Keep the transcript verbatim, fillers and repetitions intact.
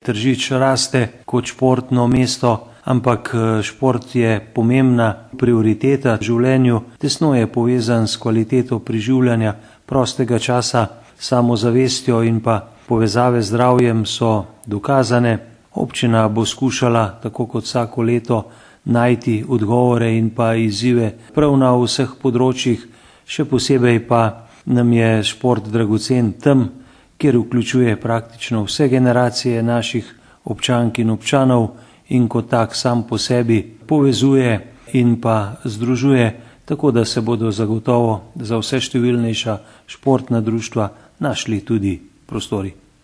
Tržič raste kot športno mesto, ampak šport je pomembna prioriteta v življenju, tesno je povezan s kvaliteto preživljanja prostega časa, samozavestjo in pa povezave z zdravjem so dokazane. Občina bo skušala, tako kot vsako leto, najti odgovore in pa izzive prav na vseh področjih, še posebej pa nam je šport dragocen tam, kjer vključuje praktično vse generacije naših občank in občanov in kot tak sam po sebi povezuje in pa združuje, tako da se bodo zagotovo za vse številnejša športna društva našli tudi prostori.